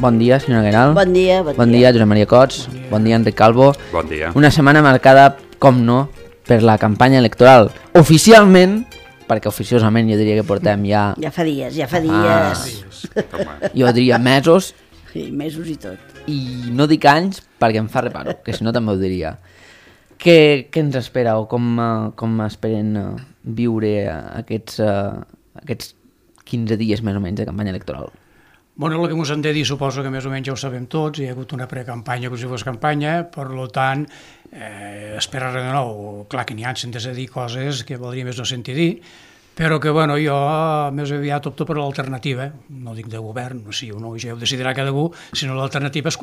Bon dia, senyora Gueral. Bon dia. Bon dia, Josep Maria Cots. Bon dia, Enric Calvo. Bon dia. Una setmana marcada, com no, per la campanya electoral. Oficialment, perquè oficiosament jo diria que portem ja... Ja fa dies. Jo diria mesos. Sí, mesos i tot. I no dic anys perquè em fa reparo, que si no també ho diria. Què ens espera o com esperen viure aquests 15 dies més o menys de campanya electoral? Bueno, el que ens han de dir suposo que més o menys ja ho sabem tots, hi ha hagut una precampanya com si fos campanya, per tant, esperar de nou, clar que n'hi ha centes a dir coses que valdria més no sentir dir, però que bueno, jo més aviat opto per l'alternativa, no dic de govern, sí o no, ja ho decidirà cada algú, sinó l'alternativa és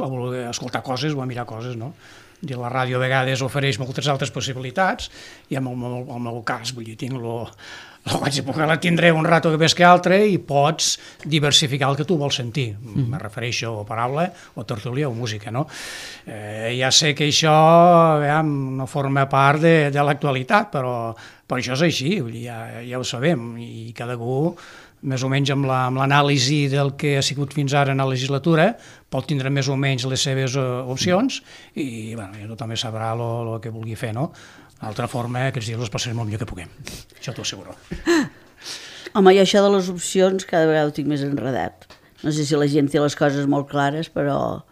escoltar coses o mirar coses, no? I la ràdio a vegades ofereix moltes altres possibilitats, i en el meu cas, vull dir, tinc que la tindré un rato que més que altre i pots diversificar el que tu vols sentir. Me refereixo a paraula, o tertúlia o música, no? Ja sé que això no forma part de l'actualitat, però això és així, ja ho sabem, i cada algú més o menys amb l'anàlisi del que ha sigut fins ara en la legislatura, pot tindre més o menys les seves opcions i bueno, tothom sabrà el que vulgui fer, no? D'altra forma, aquests dies els passarem el millor que puguem, això t'ho asseguro. Home, jo això de les opcions cada vegada ho tinc més enredat. No sé si la gent té les coses molt clares, però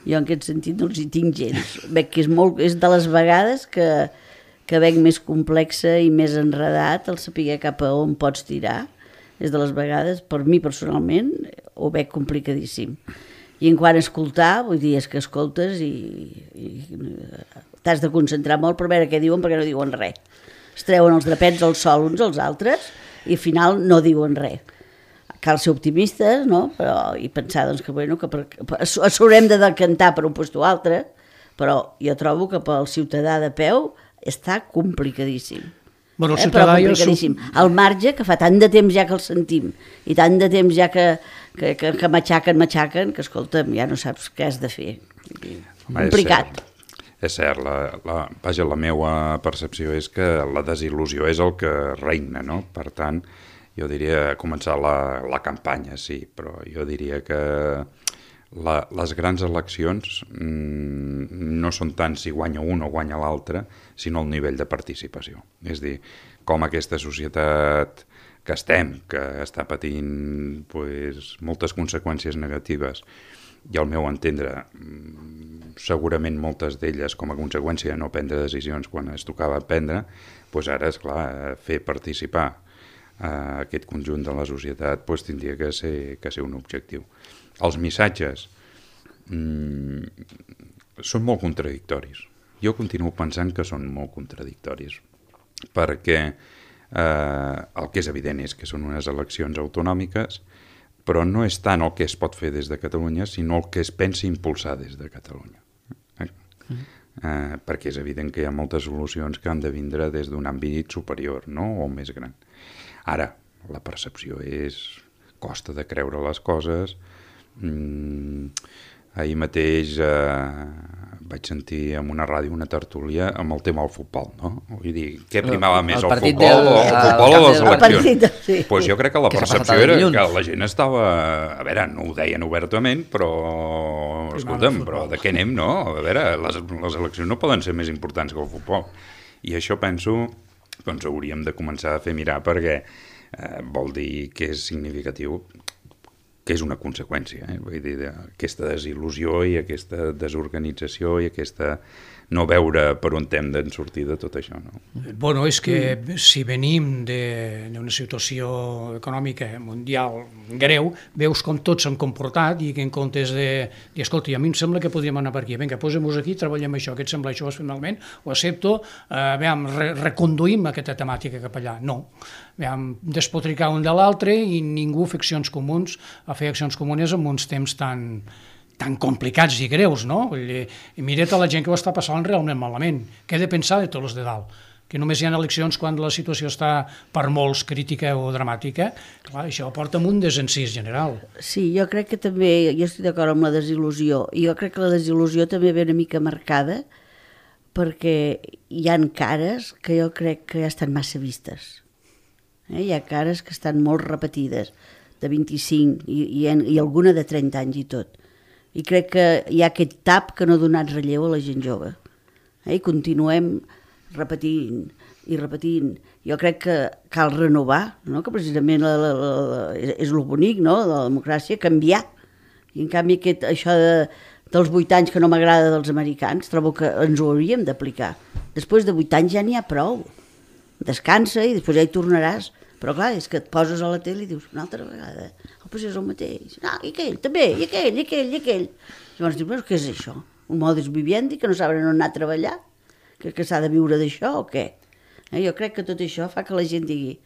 jo en aquest sentit no els hi tinc gens. Veig que és de les vegades que veig més complexa i més enredat el saber cap a on pots tirar. És de les vegades, per mi personalment, ho veig complicadíssim. I en quant a escoltar, vull dir, és que escoltes i t'has de concentrar molt per veure què diuen, perquè no diuen res. Es treuen els drapets al sol uns als altres i al final no diuen res. Cal ser optimistes, no? I pensar doncs, que s'haurem de decantar per un lloc o altre, però jo trobo que pel ciutadà de peu està complicadíssim. Bueno, però complicadíssim. El marge, que fa tant de temps ja que el sentim, i tant de temps ja que matxaquen, que escolta'm, ja no saps què has de fer. Complicat. És cert, la meva percepció és que la desil·lusió és el que reina, no? Per tant, jo diria començar la campanya, sí, però jo diria que les grans eleccions no són tant si guanya un o guanya l'altre, sinó el nivell de participació. És a dir, com aquesta societat que està patint moltes conseqüències negatives, i al meu entendre, segurament moltes d'elles com a conseqüència de no prendre decisions quan es tocava prendre, doncs ara, esclar, fer participar aquest conjunt de la societat tindria que ser un objectiu. Els missatges són molt contradictoris. Jo continuo pensant que són molt contradictoris, perquè el que és evident és que són unes eleccions autonòmiques, però no és tant el que es pot fer des de Catalunya, sinó el que es pensa impulsar des de Catalunya. Perquè és evident que hi ha moltes solucions que han de vindre des d'un àmbit superior, no? O més gran. Ara, la percepció costa de creure les coses. Ahir mateix vaig sentir en una ràdio una tertúlia amb el tema del futbol, no? Vull dir, què primava més, el futbol o les eleccions? Doncs jo crec que la percepció era que la gent estava... A veure, no ho deien obertament, però... Escolta'm, però de què anem, no? A veure, les eleccions no poden ser més importants que el futbol. I això penso, doncs hauríem de començar a fer mirar perquè vol dir que és significatiu, que és una conseqüència, vull dir, d'aquesta desil·lusió i aquesta desorganització i aquesta no veure per on hem de sortir de tot això, no? Bueno, és que si venim d'una situació econòmica mundial greu, veus com tots s'han comportat i que en comptes de dir, escolta, a mi em sembla que podríem anar per aquí, vinga, posem-nos aquí, treballem això, què et sembla això, finalment, ho accepto, reconduïm aquesta temàtica cap allà. No, despotricar un de l'altre i ningú fer accions comuns, a fer accions comunes en uns temps tan complicats i greus, no? I mira't a la gent que ho està passant realment malament. Què he de pensar de tots els de dalt? Que només hi ha eleccions quan la situació està per molts crítica o dramàtica. Clar, això porta un desencís general. Sí, jo crec que també, jo estic d'acord amb la desil·lusió, i jo crec que la desil·lusió també ve una mica marcada perquè hi ha cares que jo crec que ja estan massa vistes. Hi ha cares que estan molt repetides, de 25 i alguna de 30 anys i tot. I crec que hi ha aquest tap que no ha donat relleu a la gent jove. I continuem repetint i repetint. Jo crec que cal renovar, no? Que precisament és el bonic, no? De la democràcia, canviar. I en canvi això dels 8 anys que no m'agrada dels americans, trobo que ens ho hauríem d'aplicar. Després de 8 anys ja n'hi ha prou. Descansa i després ja hi tornaràs. Però clar, és que et poses a la tele i dius una altra vegada, pues és el mateix. Ah, i aquell també, i aquell. Llavors dius, però què és això? Un modus vivendi que no saben on anar a treballar? Que s'ha de viure d'això o què? Jo crec que tot això fa que la gent digui,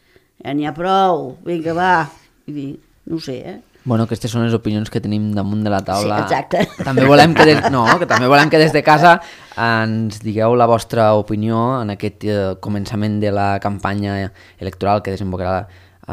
ja n'hi ha prou, vinga, va. Vull dir, no ho sé, Bueno, aquestes són les opinions que tenim damunt de la taula. Sí, exacte. També volem que des de casa ens digueu la vostra opinió en aquest començament de la campanya electoral que desembocarà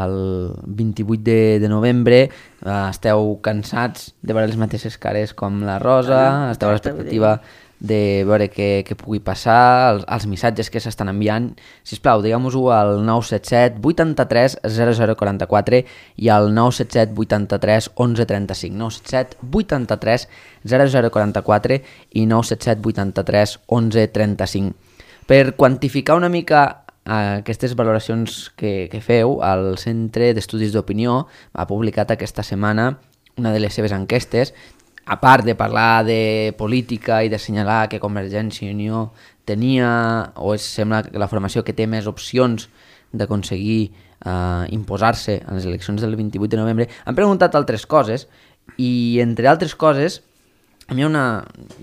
el 28 de novembre. Esteu cansats de veure les mateixes cares com la Rosa, esteu a l'expectativa de veure què pugui passar, els missatges que s'estan enviant. Sisplau, digueu-nos-ho al 977 83 0044 i al 977 83 1135. 977 83 0044 i 977 83 1135. Per quantificar una mica aquestes valoracions que feu, el Centre d'Estudis d'Opinió ha publicat aquesta setmana una de les seves enquestes. A part de parlar de política i d'assenyalar que Convergència i Unió tenia, o sembla la formació que té més opcions d'aconseguir imposar-se a les eleccions del 28 de novembre, han preguntat altres coses i, entre altres coses, a mi hi ha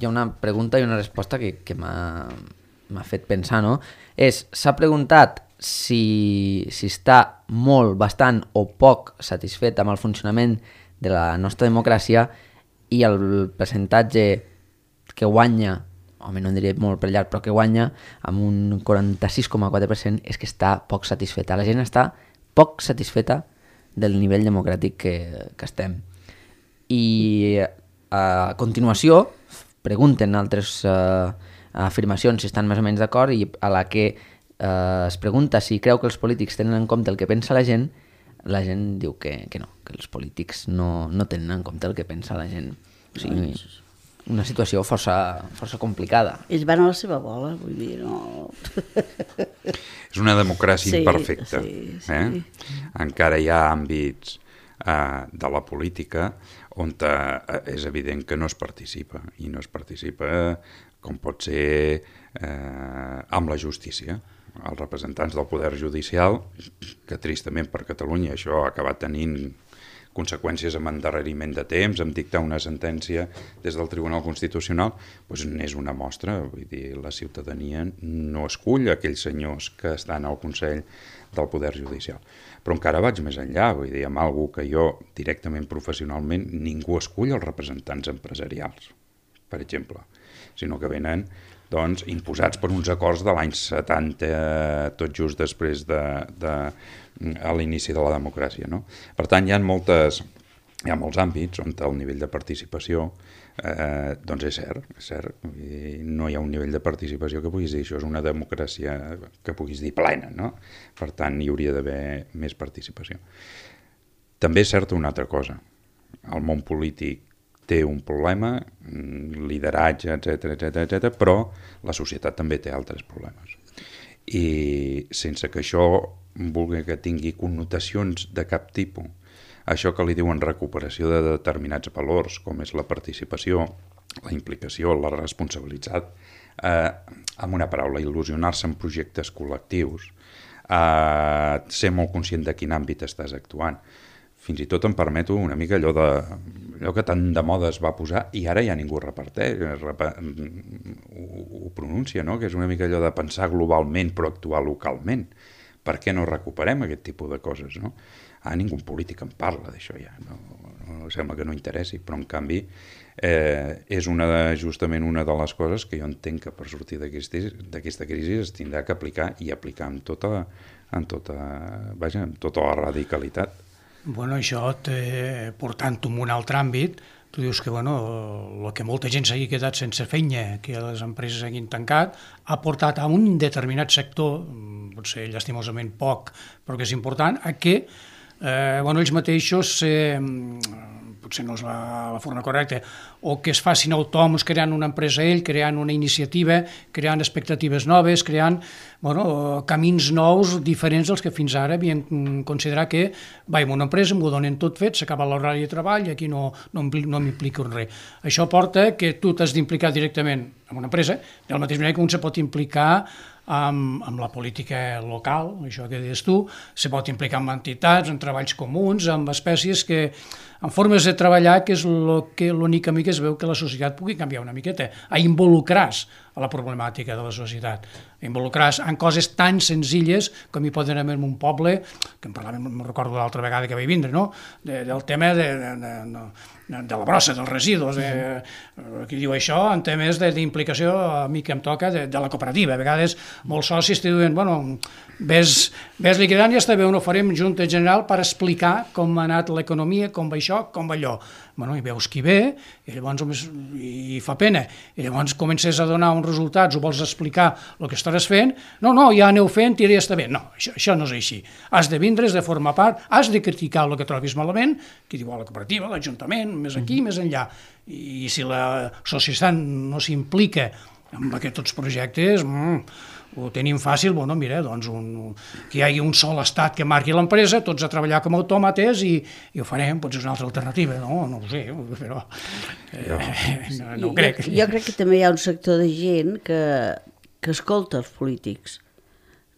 una pregunta i una resposta que m'ha fet pensar, no? S'ha preguntat si està molt, bastant o poc satisfet amb el funcionament de la nostra democràcia, i el percentatge que guanya, home, no en diré molt per llarg, però que guanya amb un 46,4% és que està poc satisfeta. La gent està poc satisfeta del nivell democràtic que estem. I a continuació pregunten altres afirmacions si estan més o menys d'acord, i a la que es pregunta si creu que els polítics tenen en compte el que pensa la gent diu que no, que els polítics no tenen en compte el que pensa la gent. O sigui, una situació força complicada. Ells van a la seva bola, vull dir, no... És una democràcia imperfecta. Sí. Encara hi ha àmbits de la política on és evident que no es participa, i no es participa com pot ser amb la justícia. Els representants del poder judicial, que tristament per Catalunya això ha acabat tenint conseqüències amb endarreriment de temps, amb dictar una sentència des del Tribunal Constitucional, doncs n'és una mostra. Vull dir, la ciutadania no escull aquells senyors que estan al Consell del Poder Judicial. Però encara vaig més enllà, vull dir, amb algú que jo directament, professionalment, ningú escull els representants empresarials, per exemple, sinó que venen doncs, imposats per uns acords de l'any 70, tot just després de l'inici de la democràcia, no? Per tant, hi ha molts àmbits on el nivell de participació doncs és cert. No hi ha un nivell de participació que puguis dir això és una democràcia que puguis dir plena, no? Per tant, hi hauria d'haver més participació. També és certa una altra cosa. El món polític té un problema, lideratge, etc, però la societat també té altres problemes. I sense que això vulgui que tingui connotacions de cap tipus, això que li diuen recuperació de determinats valors, com és la participació, la implicació, la responsabilitat, amb una paraula, il·lusionar-se en projectes col·lectius, ser molt conscient de quin àmbit estàs actuant. Fins i tot em permeto una mica allò que tant de moda es va posar i ara ja ningú reparteix, ho pronuncia, no? Que és una mica allò de pensar globalment però actuar localment. Per què no recuperem aquest tipus de coses, no? Ningú polític en parla d'això ja, no sembla que no interessi, però en canvi és justament una de les coses que jo entenc que per sortir d'aquesta crisi es tindrà que aplicar i aplicar amb tota la radicalitat. Bueno, això, portant-ho en un altre àmbit, tu dius que el que molta gent s'hagi quedat sense feina, que les empreses hagin tancat, ha portat a un determinat sector, potser llastimosament poc, però que és important, a que ells mateixos, potser no és la forma correcta, o que es facin autònoms creant una empresa creant una iniciativa, creant expectatives noves, creant camins nous diferents dels que fins ara havien considerat que vaig a una empresa, m'ho donen tot fet, s'acaba l'horari de treball i aquí no m'implico en res. Això porta que tu t'has d'implicar directament en una empresa, de la mateixa manera que un se pot implicar amb la política local, això que deies tu, se pot implicar amb entitats, en treballs comuns, amb espècies en formes de treballar, que és l'únic camí que es veu que la societat pugui canviar una miqueta, a involucrar-se a la problemàtica de la societat, a involucrar-se en coses tan senzilles com hi poden haver en un poble, que en parlàvem, me'n recordo l'altra vegada que vaig vindre, del tema de la brossa, dels residus, qui diu això, en temes d'implicació, a mi que em toca, de la cooperativa. A vegades molts socis te diuen, ves liquidant i està bé, ho farem junta general per explicar com ha anat l'economia, com va això, com va allò. I veus qui ve, i llavors hi fa pena, i llavors comences a donar uns resultats, o vols explicar el que estaràs fent, no, ja aneu fent i ja està bé. No, això no és així. Has de vindre, has de formar part, has de criticar el que trobis malament, qui diu la cooperativa, l'Ajuntament, més aquí, més enllà. I si la societat no s'implica en aquests projectes, ho tenim fàcil, mira, doncs que hi hagi un sol estat que marqui l'empresa, tots a treballar com a autòmates i ho farem, potser és una altra alternativa, no ho sé, però no ho crec. Jo crec que també hi ha un sector de gent que escolta els polítics,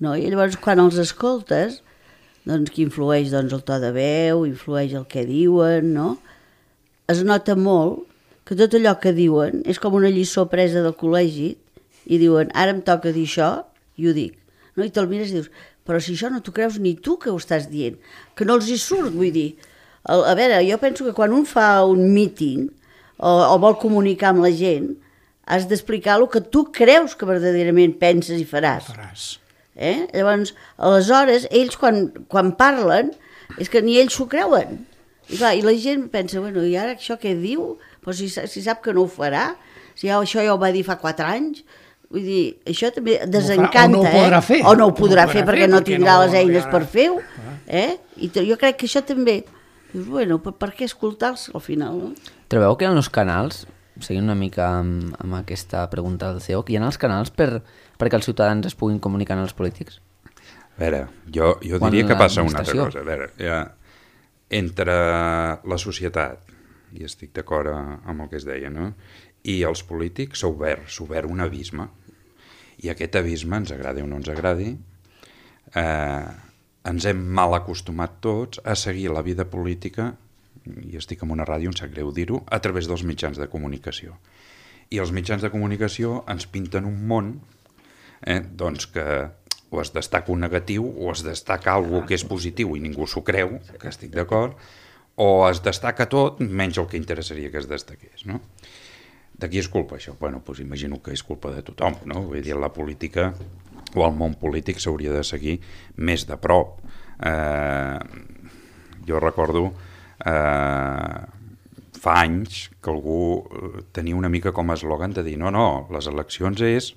no? I llavors quan els escoltes, doncs que influeix el to de veu, influeix el que diuen, no? Es nota molt que tot allò que diuen és com una lliçó presa del col·legi i diuen, ara em toca dir això, i ho dic. No? I te'l mires i dius, però si això no t'ho creus ni tu que ho estàs dient, que no els hi surt, vull dir. A veure, jo penso que quan un fa un míting o vol comunicar amb la gent, has d'explicar el que tu creus que verdaderament penses i faràs. Llavors, aleshores, ells quan parlen, és que ni ells s'ho creuen. I la gent pensa, i ara això què diu? Però si sap que no ho farà, si això ja ho va dir fa 4 anys, vull dir, això també desencanta, o no ho podrà fer. O no ho podrà fer perquè no tindrà les eines per fer-ho. I jo crec que això també, dius, per què escoltar-los al final, no? Trobeu que hi ha uns canals, seguint una mica amb aquesta pregunta del CEO, que hi ha els canals perquè els ciutadans es puguin comunicar amb els polítics? A veure, jo diria que passa una altra cosa. A veure, entre la societat, i estic d'acord amb el que es deia, no? I els polítics s'ha obert un abisme. I aquest abisme, ens agradi o no ens agradi, ens hem mal acostumat tots a seguir la vida política, i estic en una ràdio, em sap greu dir-ho, a través dels mitjans de comunicació. I els mitjans de comunicació ens pinten un món doncs que o es destaca un negatiu o es destaca alguna que és positiu i ningú s'ho creu, que estic d'acord, o es destaca tot menys el que interessaria que es destaqués, no? De qui és culpa això? Doncs imagino que és culpa de tothom, no? Vull dir, la política o el món polític s'hauria de seguir més de prop. Jo recordo fa anys que algú tenia una mica com a eslògan de dir no, les eleccions és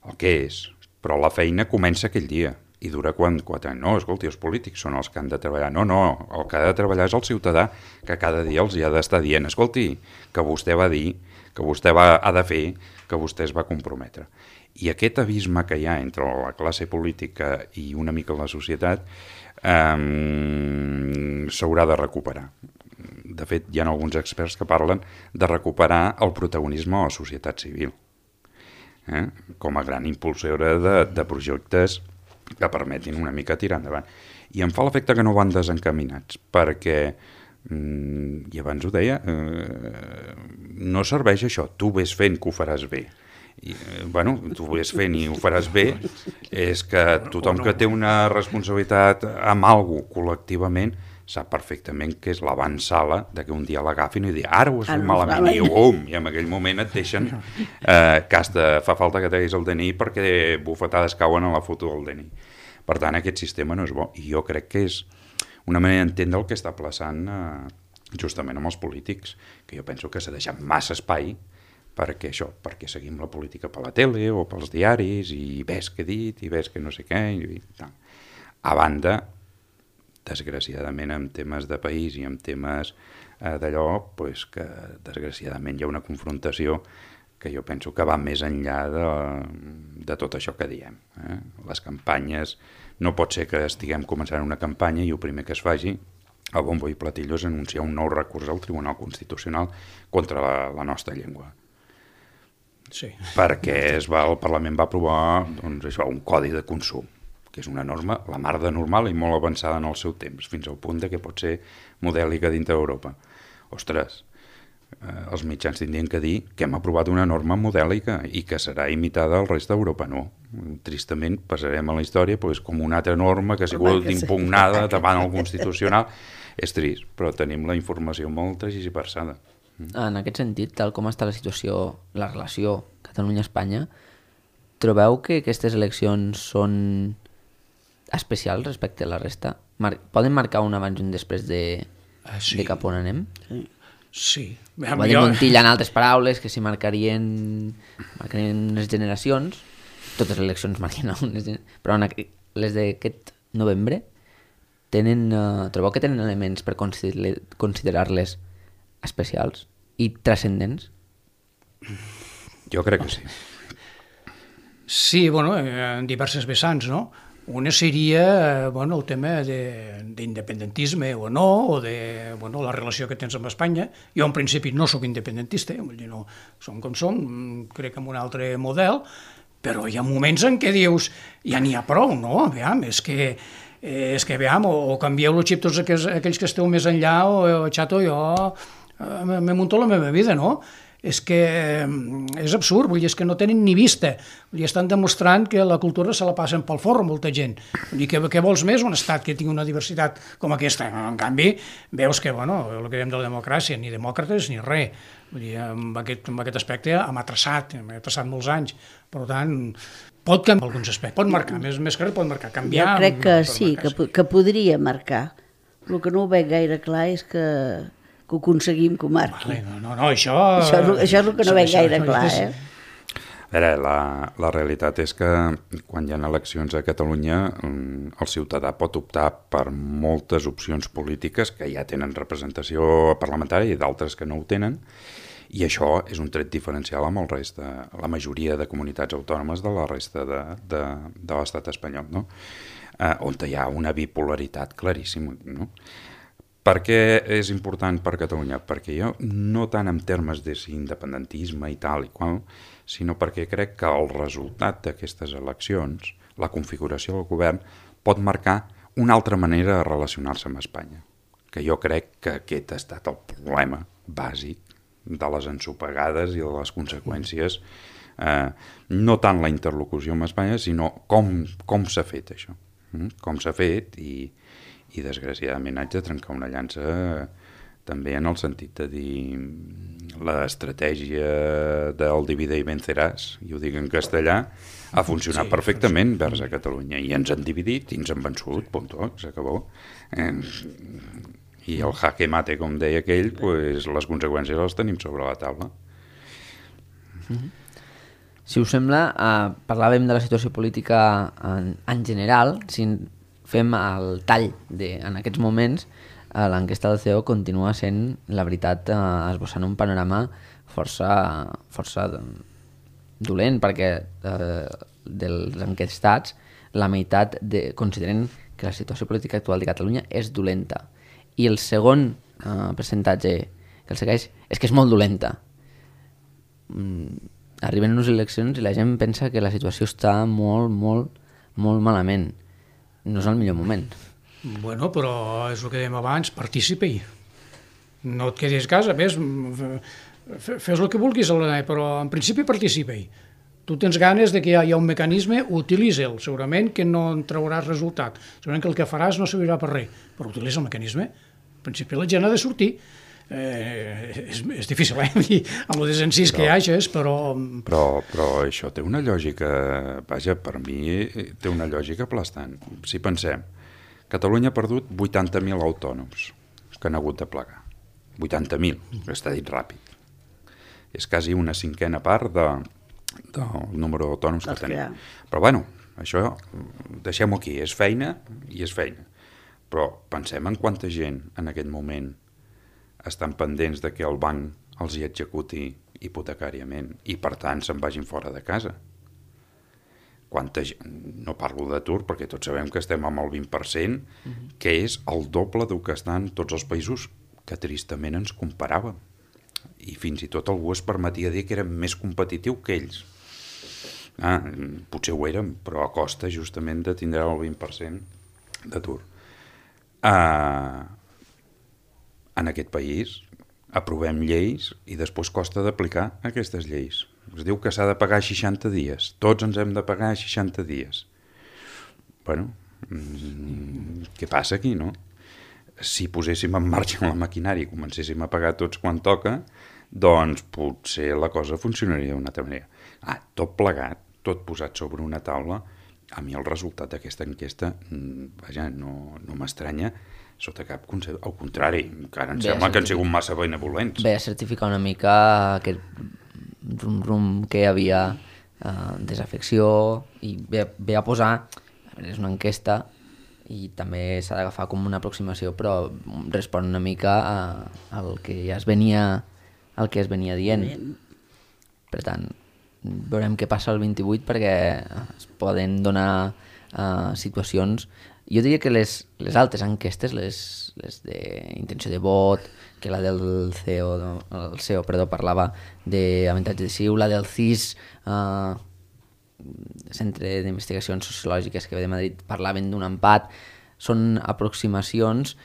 el que és, però la feina comença aquell dia i dura 4 anys. No, escolti, els polítics són els que han de treballar. No, el que ha de treballar és el ciutadà que cada dia els hi ha d'estar dient, escolti, que vostè va dir, que vostè ha de fer, que vostè es va comprometre. I aquest abisme que hi ha entre la classe política i una mica la societat s'haurà de recuperar. De fet, hi ha alguns experts que parlen de recuperar el protagonisme a la societat civil, com a gran impulsora de projectes que permetin una mica tirar endavant. I em fa l'efecte que no van desencaminats, perquè, i abans ho deia, no serveix això, tu ves fent que ho faràs bé. Tu ves fent i ho faràs bé, és que tothom que té una responsabilitat amb alguna cosa col·lectivament sap perfectament que és l'avançala que un dia l'agafin i dir ara ho has fet malament, i en aquell moment et deixen fa falta que treguis el DNI perquè bufetades cauen a la foto del DNI. Per tant, aquest sistema no és bo, i jo crec que és una manera d'entendre el que està passant justament amb els polítics, que jo penso que s'ha deixat massa espai perquè seguim la política per la tele o pels diaris i ves què he dit i ves que no sé què i tal. A banda, desgraciadament, en temes de país i en temes d'allò, pues, que desgraciadament hi ha una confrontació que jo penso que va més enllà de tot això que diem. Les campanyes, no pot ser que estiguem començant una campanya i el primer que es faci, a bombo i platillo, és anunciar un nou recurs al Tribunal Constitucional contra la nostra llengua. Sí. Perquè el Parlament va aprovar doncs, això, un codi de consum, que és una norma, la mar de normal i molt avançada en el seu temps, fins al punt de que pot ser modèlica dintre d'Europa. Ostres, els mitjans tindrien que dir que hem aprovat una norma modèlica i que serà imitada al rest d'Europa. No. Tristament passarem a la història doncs, com una altra norma que ha sigut impugnada davant el Constitucional. És trist, però tenim la informació molt tergiversada. En aquest sentit, tal com està la situació, la relació Catalunya-Espanya, trobeu que aquestes eleccions són especials respecte a la resta? Poden marcar un abans i un després de cap on anem? Sí. Poden Montilla, en altres paraules, que si marcarien unes generacions, totes les eleccions marquen unes generacions, però les d'aquest novembre trobeu que tenen elements per considerar-les especials i transcendents? Jo crec que sí. Sí, en diverses vessants, no? Una seria el tema d'independentisme o no, o de la relació que tens amb Espanya. Jo en principi no sóc independentista, vull dir, no, som com som, crec en un altre model, però hi ha moments en què dius, ja n'hi ha prou, no? Aviam, és que o canvieu el xip tots aquells que esteu més enllà, o xato, jo me munto la meva vida, no? És que és absurd, vull dir, és que no tenen ni vista, vull dir, estan demostrant que la cultura se la passen pel forro molta gent, vull dir, què vols més un estat que tingui una diversitat com aquesta? En canvi, veus que, el que diem de la democràcia, ni demòcrates ni res, vull dir, amb aquest aspecte hem atrassat molts anys, per tant, pot canviar alguns aspectes, pot marcar, més que res pot marcar, canviar... Jo crec que sí, que podria marcar, el que no ho veig gaire clar és que ho aconseguim que ho marqui. No, això... Això és el que no veig gaire clar, A veure, la realitat és que quan hi ha eleccions a Catalunya el ciutadà pot optar per moltes opcions polítiques que ja tenen representació parlamentària i d'altres que no ho tenen, i això és un tret diferencial amb el rest de la majoria de comunitats autònomes de la resta de l'estat espanyol, no? On hi ha una bipolaritat claríssima, no? Per què és important per Catalunya? Perquè jo, no tant en termes d'independentisme i tal i qual, sinó perquè crec que el resultat d'aquestes eleccions, la configuració del govern, pot marcar una altra manera de relacionar-se amb Espanya. Que jo crec que aquest ha estat el problema bàsic de les ensopegades i de les conseqüències, no tant la interlocució amb Espanya, sinó com s'ha fet això. Com s'ha fet i desgraciadament haig de trencar una llança també en el sentit de dir l'estratègia del divide i venceràs, i ho dic en castellà, ha funcionat perfectament vers a Catalunya i ens han dividit i ens han vençut, punto, s'acabó. I el jaque mate, com deia aquell, pues, les conseqüències les tenim sobre la taula. Si us sembla, parlàvem de la situació política en general. Si fem el tall en aquests moments, l'enquesta del CEO continua sent, la veritat, esbossant un panorama força dolent, perquè dels enquestats la meitat consideren que la situació política actual de Catalunya és dolenta, i el segon percentatge que el segueix és que és molt dolenta. Arriben unes eleccions i la gent pensa que la situació està molt, molt, molt malament. No és el millor moment. Però és el que dèiem abans, participa-hi. No et quedis a casa, fes el que vulguis, però en principi participa-hi. Tu tens ganes de que hi ha un mecanisme, utilitza'l. Segurament que no en trauràs resultat. Segurament que el que faràs no servirà per res, però utilitza el mecanisme. En principi la gent ha de sortir. És difícil, amb el desencís que hi hagi, però això té una lògica, vaja, per mi té una lògica aplastant. Si pensem, Catalunya ha perdut 80.000 autònoms que han hagut de plegar. 80.000, està dit ràpid. És quasi una cinquena part del número d'autònoms que tenim. Però bueno, això deixem-ho aquí, és feina i és feina. Però pensem en quanta gent en aquest moment estan pendents de que el banc els hi executi hipotecàriament i per tant se'n vagin fora de casa. Quanta gent, no parlo d'atur perquè tots sabem que estem amb el 20%, que és el doble del que estan tots els països que tristament ens comparàvem. I fins i tot algú es permetia dir que érem més competitiu que ells. Potser ho érem, però a costa justament de tindre el 20% d'atur. En aquest país aprovem lleis i després costa d'aplicar aquestes lleis. Es diu que s'ha de pagar 60 dies. Tots ens hem de pagar 60 dies. Bueno, què passa aquí, no? Si poséssim en marxa la maquinària i comencéssim a pagar tots quan toca, doncs potser la cosa funcionaria d'una altra manera. Tot plegat, tot posat sobre una taula, a mi el resultat d'aquesta enquesta, vaja, no m'estranya sota cap concepte. Al contrari, encara em sembla que han sigut massa benevolents. Ve a certificar una mica aquest rum que hi havia desafecció i ve a posar, és una enquesta i també s'ha d'agafar com una aproximació, però respon una mica al que ja es venia dient. Per tant, veurem què passa el 28 perquè es poden donar situacions. Jo diria que les altres enquestes, les d'intenció de vot, que la del CEO parlava d'avantatge decisiu, la del CIS, Centre d'Investigacions Sociològiques que ve de Madrid, parlaven d'un empat, són aproximacions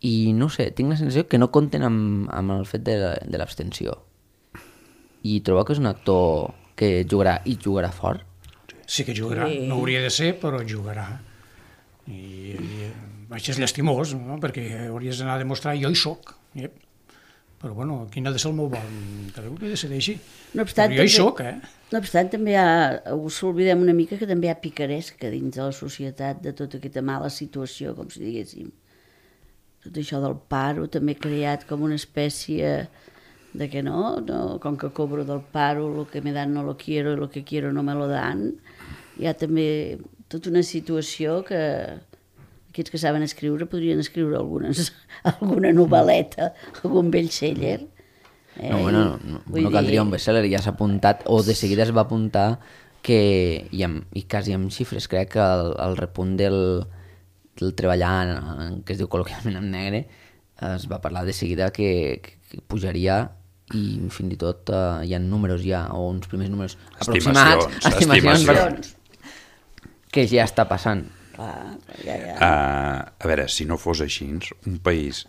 i no sé, tinc la sensació que no compten amb el fet de l'abstenció. I trobo que és un actor que jugarà fort. Sí que jugarà, no hauria de ser, però jugarà. I això és llastimós, no? Perquè hauries d'anar a demostrar jo hi soc. Però bueno, quin ha de ser el meu vol? Cadascú que decideixi. No obstant, però jo hi soc, No obstant, també us oblidem una mica que també hi ha picaresca dins de la societat de tota aquesta mala situació, com si diguéssim. Tot això del paro també ha creat com una espècie de que no, com que cobro del paro, lo que me dan no lo quiero, lo que quiero no me lo dan. Hi ha també tota una situació que aquests que saben escriure podrien escriure alguna novel·leta, algun bestseller. No caldria un bestseller, ja s'ha apuntat, o de seguida es va apuntar que, i quasi amb xifres, crec que el repunt del treballar, que es diu col·loquialment en negre, es va parlar de seguida que pujaria i fins i tot hi ha números ja, o uns primers números aproximats, estimacions, que ja està passant. A veure, si no fos així, un país,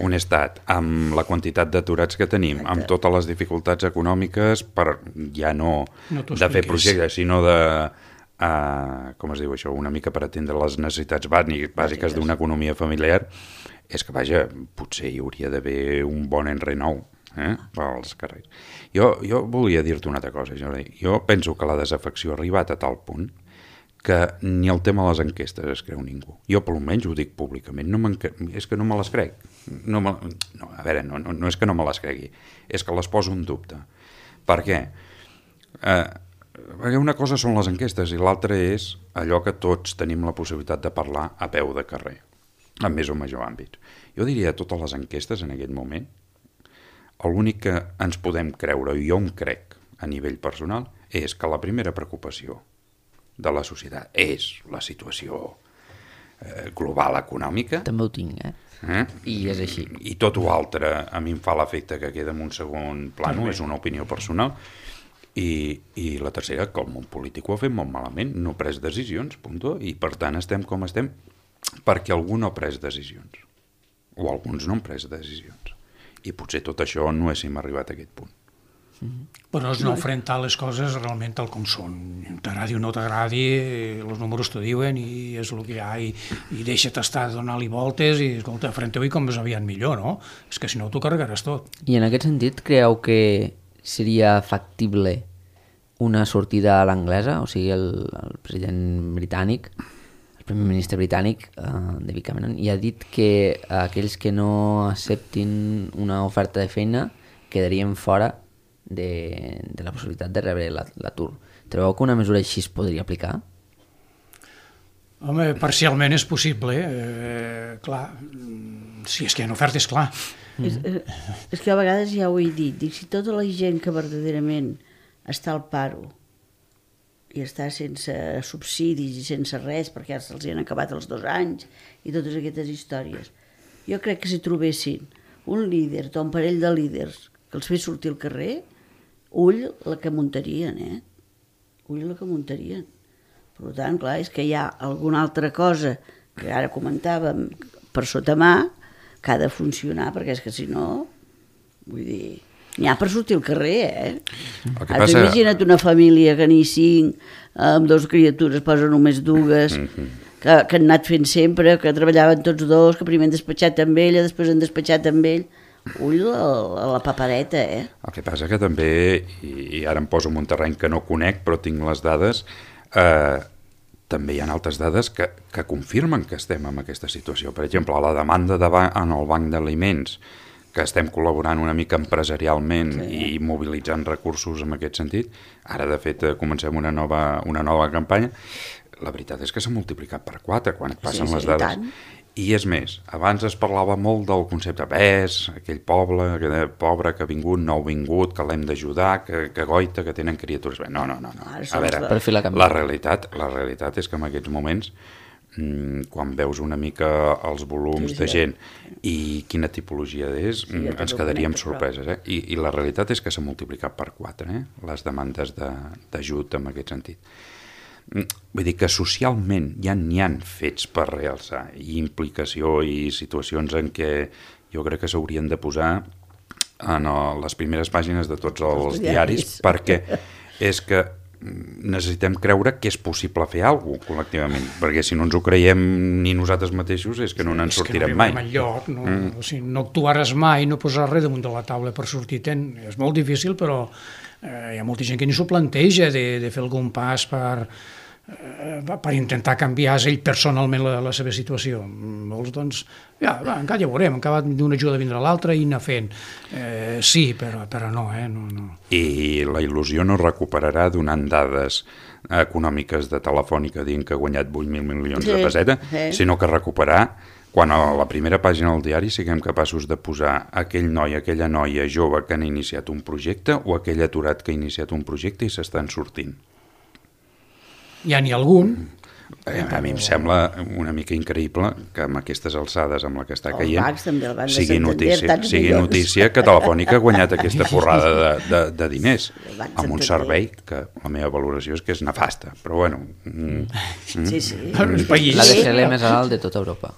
un estat, amb la quantitat d'aturats que tenim, amb totes les dificultats econòmiques, per ja no de fer projectes, sinó de, com es diu això, una mica per atendre les necessitats bàsiques d'una economia familiar, és que, vaja, potser hi hauria d'haver un bon enrenou als carrers. Jo volia dir-te una altra cosa, Jordi. Jo penso que la desafecció ha arribat a tal punt que ni el tema de les enquestes es creu ningú. Jo, per almenys, ho dic públicament. És que no me les crec. A veure, no és que no me les cregui, és que les poso en dubte. Per què? Perquè una cosa són les enquestes i l'altra és allò que tots tenim la possibilitat de parlar a peu de carrer, en més o major àmbits. Jo diria a totes les enquestes en aquest moment, l'únic que ens podem creure, i jo em crec a nivell personal, és que la primera preocupació de la societat és la situació global econòmica. També ho tinc, I és així. I tot ho altre a mi em fa l'efecte que queda en un segon plano, és una opinió personal. I la tercera, que el món polític ho ha fet molt malament, no ha pres decisions, punto, i per tant estem com estem, perquè algú no ha pres decisions, o alguns no han pres decisions. I potser tot això no haguéssim arribat a aquest punt. Però és no enfrontar les coses realment tal com són. T'agradi o no t'agradi, els números t'ho diuen i és el que hi ha, i deixa't estar donant-li voltes i, escolta, enfronteu-hi com més aviat millor, no? És que si no t'ho carregaràs tot. I en aquest sentit, creieu que seria factible una sortida a l'anglesa? O sigui, el president britànic, el primer ministre britànic, David Cameron, i ha dit que aquells que no acceptin una oferta de feina quedarien fora de la possibilitat de rebre l'atur. Trobeu que una mesura així es podria aplicar? Home, parcialment és possible, clar, si és que hi ha ofertes, clar. És que a vegades ja ho he dit, dic, si tota la gent que verdaderament està al paro i està sense subsidis i sense res perquè se'ls han acabat els 2 anys i totes aquestes històries, jo crec que si trobessin un líder o un parell de líders que els fes sortir al carrer, ull la que muntarien, ull la que muntarien. Per tant, clar, és que hi ha alguna altra cosa que ara comentàvem per sota mà que ha de funcionar, perquè és que si no, vull dir, n'hi ha per sortir al carrer, Ara imagina't una família que n'hi 5, amb 2 criatures, posa només 2, que han anat fent sempre, que treballaven tots 2, que primer han despatxat amb ella, després han despatxat amb ell. Ull a la papereta, El que passa que també, i ara em poso en un terreny que no conec, però tinc les dades, també hi ha altres dades que confirmen que estem en aquesta situació. Per exemple, la demanda en el banc d'aliments, que estem col·laborant una mica empresarialment i mobilitzant recursos en aquest sentit. Ara, de fet, comencem una nova campanya. La veritat és que s'ha multiplicat per 4 quan et passen les dades. I és més, abans es parlava molt del concepte aquell poble pobre que ha vingut, no ha vingut, que l'hem d'ajudar, que goita, que tenen criatures. No. A veure, la realitat és que en aquests moments, quan veus una mica els volums de gent i quina tipologia és, ens quedaríem sorpreses. I la realitat és que s'ha multiplicat per 4 les demandes d'ajut en aquest sentit. Vull dir que socialment ja n'hi ha fets per realçar i implicació i situacions en què jo crec que s'haurien de posar en les primeres pàgines de tots els diaris, perquè és que necessitem creure que és possible fer alguna cosa col·lectivament, perquè si no ens ho creiem ni nosaltres mateixos és que no ens sortirem mai. És que no arribarem enlloc, o sigui, no actuaràs mai, no posar res damunt de la taula per sortir-te'n. És molt difícil, però hi ha molta gent que ni s'ho planteja de fer algun pas per intentar canviar ell personalment la seva situació. Molts, doncs, encara ja veurem, encara d'una ajuda vindrà l'altra i anar fent. Sí, però no, no. I la il·lusió no recuperarà donant dades econòmiques de Telefònica dient que ha guanyat 8.000 milions de pessetes, sinó que recuperar quan a la primera pàgina del diari siguem capaços de posar aquell noi, aquella noia jove que han iniciat un projecte o aquell aturat que ha iniciat un projecte i s'estan sortint. Ja n'hi ha algun. A mi em sembla una mica increïble que amb aquestes alçades amb la que està caient sigui notícia que Telefònica ha guanyat aquesta porrada de diners amb un servei que la meva valoració és que és nefasta, però bueno. La DSL més alt de tota Europa.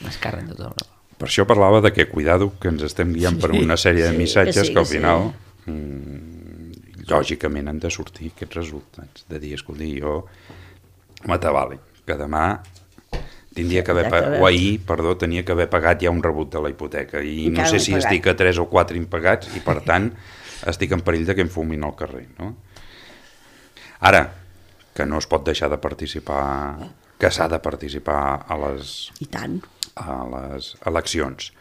Més cara de tota Europa. Per això parlava de que cuidado que ens estem guiant per una sèrie de missatges que al final lògicament han de sortir aquests resultats, de dir, escolti, jo m'atabali, que demà tenia que haver tenia que haver pagat ja un rebut de la hipoteca i no sé si estic a 3 o 4 impagats i per tant estic en perill de que em fumin al carrer, no? Ara, que no es pot deixar de participar, que s'ha de participar a les eleccions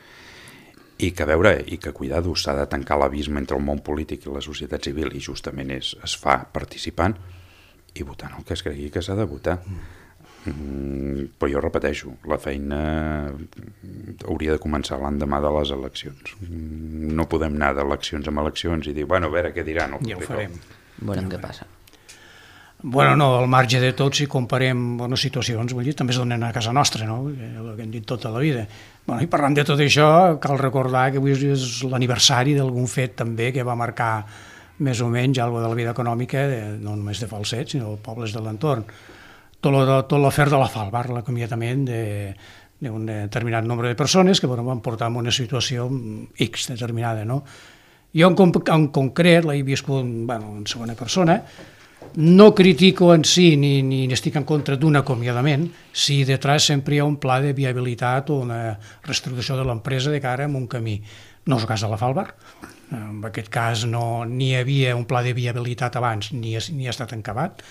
i que cuidado, s'ha de tancar l'abisme entre el món polític i la societat civil i justament es fa participant i votant el que es cregui que s'ha de votar. Però jo repeteixo, la feina hauria de començar l'endemà de les eleccions. No podem anar d'eleccions en eleccions i dir, a veure què diran. Ja ho farem. Veurem què passa. Bueno, no, al marge de tot, si comparem bones situacions, vull dir, també es donen a casa nostra, no? El que hem dit tota la vida. I parlant de tot això, cal recordar que avui és l'aniversari d'algun fet també que va marcar més o menys alguna de la vida econòmica, no només de Falset, sinó de pobles de l'entorn. Tot l'afer de la Falbar, l'acomiadament d'un determinat nombre de persones que van portar en una situació X determinada, no? Jo en concret l'he viscut en segona persona. No critico en si ni estic en contra d'un acomiadament si detrás sempre hi ha un pla de viabilitat o una reestructuració de l'empresa de cara a un camí. No és el cas de la Falbar. En aquest cas ni hi havia un pla de viabilitat abans ni ha estat acabat.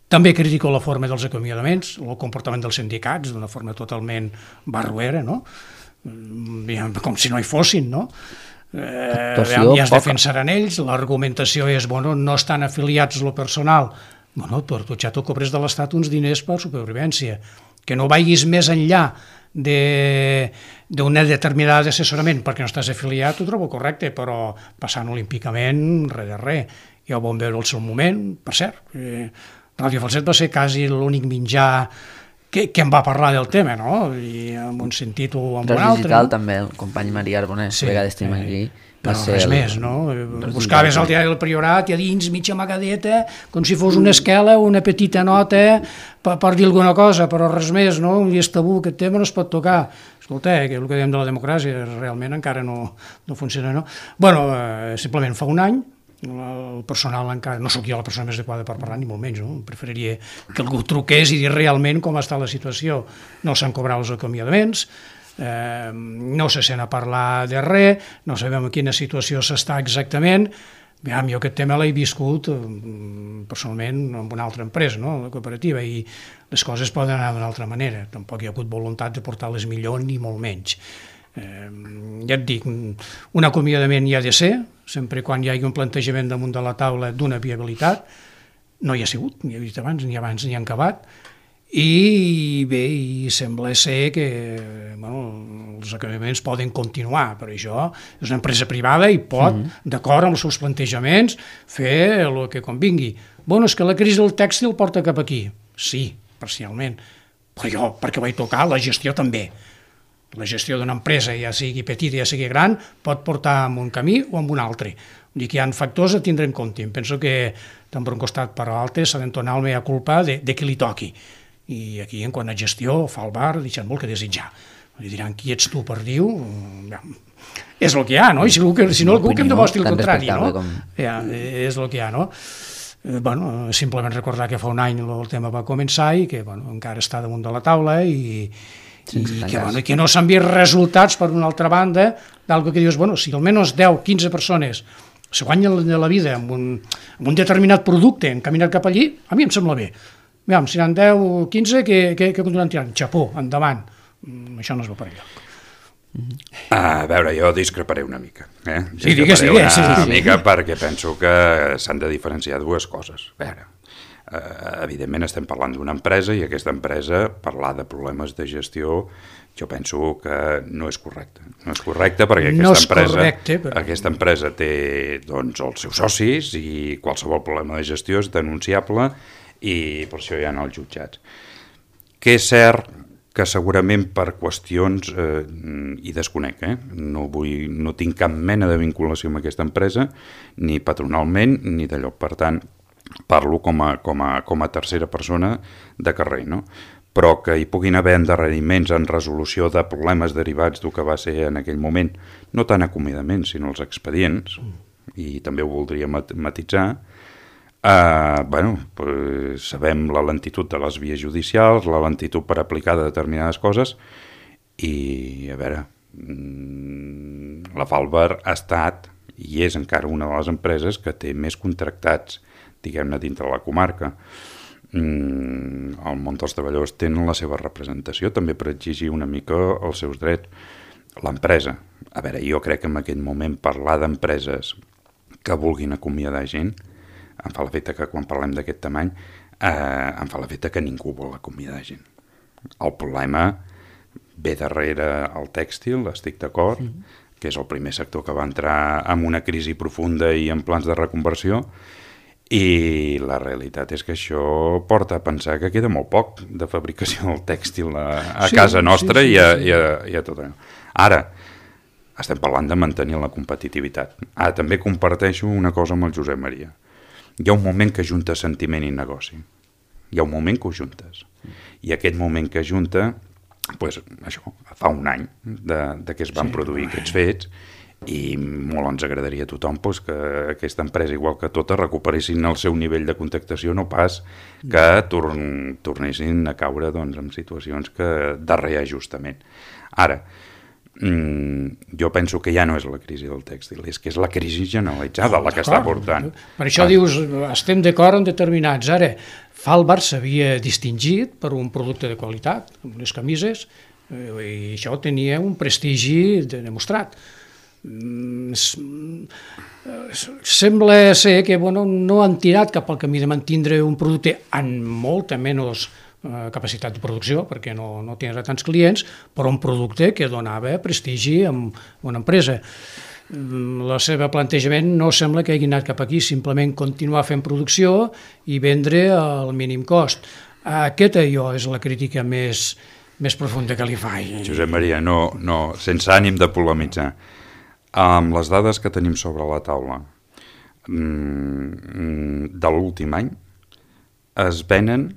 També critico la forma dels acomiadaments, el comportament dels sindicats, d'una forma totalment barruera, no? Com si no hi fossin, no? Ja es defensaran ells, l'argumentació és, bueno, no estan afiliats lo personal. Bueno, però tu ja t'ho cobres de l'Estat uns diners per supervivència. Que no vagis més enllà d'una determinada assessorament perquè no estàs afiliat, ho trobo correcte, però passant olímpicament, res de res. Ja ho vam veure al seu moment, per cert. Ràdio Falset va ser quasi l'únic mitjà que em va parlar del tema, no? I en un sentit o en un altre. Digital també, el company Maria Arbonès, a vegades tenim aquí. Però res més, no? Buscaves al diari del Priorat i a dins mitja amagadeta, com si fos una esquela o una petita nota per dir alguna cosa, però res més, no? I és tabú, aquest tema no es pot tocar. Escolta, que el que diem de la democràcia realment encara no funciona, no? Bueno, simplement fa un any, el personal encara, no sóc jo la persona més adequada per parlar, ni molt menys, no? Preferiria que algú truqués i dir realment com està la situació. No s'han cobrat els acomiadaments, no se sent a parlar de res, no sabem en quina situació s'està exactament. Jo aquest tema l'he viscut personalment en una altra empresa, no? La cooperativa, i les coses poden anar d'una altra manera. Tampoc hi ha hagut voluntat de portar-les millor ni molt menys. Ja et dic, un acomiadament hi ha de ser, sempre quan hi hagi un plantejament damunt de la taula d'una viabilitat. No hi ha sigut, ni he dit abans ni han acabat. I bé, i sembla ser que els acabaments poden continuar, però això és una empresa privada i pot, d'acord amb els seus plantejaments, fer el que convingui. És que la crisi del tèxtil porta cap aquí. Sí, parcialment, però jo, perquè vaig tocar, la gestió també. La gestió d'una empresa, ja sigui petita, ja sigui gran, pot portar en un camí o en un altre. Vull dir que hi ha factors a tindre en compte. Em penso que tant per un costat per l'altre s'ha d'entonar el mea culpa de qui li toqui. I aquí, en quant a gestió, fa el bar, deixant molt que desitjar. Li diran, qui ets tu per dir-ho? És el que hi ha, no? I si no, algú que em demostri el contrari, no? És el que hi ha, no? Simplement recordar que fa un any el tema va començar i que encara està damunt de la taula i que no s'han vist resultats, per una altra banda, d'algo que dius, si almenys 10-15 persones se guanyen la vida amb un determinat producte encaminat cap allí, a mi em sembla bé. Si n'han 10 o 15 que continuen tirant. Xapó, endavant. Això no es va per enlloc. A veure, jo discreparé una mica. Sí, digues. Una mica perquè penso que s'han de diferenciar dues coses. A veure, evidentment estem parlant d'una empresa i aquesta empresa, parlar de problemes de gestió, jo penso que no és correcte. No és correcte perquè aquesta empresa té els seus socis i qualsevol problema de gestió és denunciable i per això hi ha els jutjats. Que és cert que segurament per qüestions, i desconec, no tinc cap mena de vinculació amb aquesta empresa, ni patronalment ni d'allò. Per tant, parlo com a tercera persona de carrer, no? Però que hi puguin haver endarreriments en resolució de problemes derivats del que va ser en aquell moment, no tant acomiadaments, sinó els expedients, i també ho voldria matitzar. Sabem la lentitud de les vies judicials, la lentitud per aplicar determinades coses i, a veure, la Falber ha estat i és encara una de les empreses que té més contractats, diguem-ne, dintre de la comarca. El món dels treballadors tenen la seva representació també per exigir una mica els seus drets. L'empresa, a veure, jo crec que en aquest moment parlar d'empreses que vulguin acomiadar gent em fa l'efecte que quan parlem d'aquest tamany em fa l'efecte que ningú vol acomiadar gent. El problema ve darrere el tèxtil, estic d'acord, que és el primer sector que va entrar en una crisi profunda i en plans de reconversió, i la realitat és que això porta a pensar que queda molt poc de fabricació del tèxtil a casa nostra i a tot allò. Ara, estem parlant de mantenir la competitivitat. També comparteixo una cosa amb el Josep Maria. Hi ha un moment que junta sentiment i negoci. Hi ha un moment que ho juntes. I aquest moment que junta, fa un any de que es van produir aquests fets, i molt ens agradaria a tothom que aquesta empresa, igual que tota, recuperessin el seu nivell de contractació, no pas que tornessin a caure en situacions de reajustament. Ara, jo penso que ja no és la crisi del tèxtil, és que és la crisi generalitzada la que està portant. Per això dius, estem d'acord en determinats. Ara, Falbar s'havia distingit per un producte de qualitat, amb les camises, i això tenia un prestigi demostrat. Sembla ser que no han tirat cap al camí de mantindre un producte amb molta menys capacitat de producció, perquè no tenia tants clients, però un producte que donava prestigi a una empresa. El seu plantejament no sembla que hagi anat cap aquí, simplement continuar fent producció i vendre al mínim cost. Aquesta és la crítica més profunda que li faig. Josep Maria, no, sense ànim de polemitzar, amb les dades que tenim sobre la taula de l'últim any es venen